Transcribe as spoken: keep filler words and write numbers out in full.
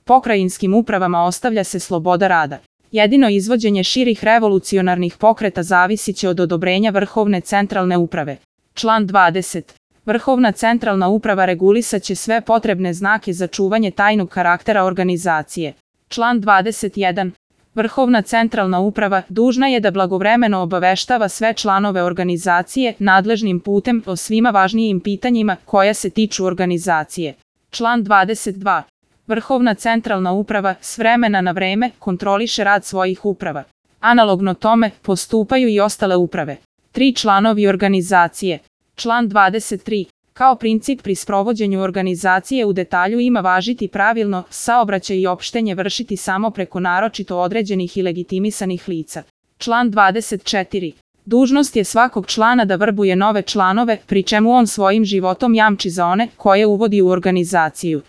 Pokrajinskim upravama ostavlja se sloboda rada. Jedino izvođenje širih revolucionarnih pokreta zavisit će od odobrenja Vrhovne centralne uprave. Član dvadeset. Vrhovna centralna uprava regulisat će sve potrebne znake za čuvanje tajnog karaktera organizacije. Član dvadeset jedan. Vrhovna centralna uprava dužna je da blagovremeno obaveštava sve članove organizacije nadležnim putem o svima važnijim pitanjima koja se tiču organizacije. Član dvadeset dva. Vrhovna centralna uprava s vremena na vreme kontroliše rad svojih uprava. Analogno tome postupaju i ostale uprave. Tri članovi organizacije. Član dvadeset tri. Kao princip pri sprovođenju organizacije u detalju ima važiti pravilno saobraćaj i opštenje vršiti samo preko naročito određenih i legitimisanih lica. Član dvadeset četiri. Dužnost je svakog člana da vrbuje nove članove, pri čemu on svojim životom jamči za one koje uvodi u organizaciju.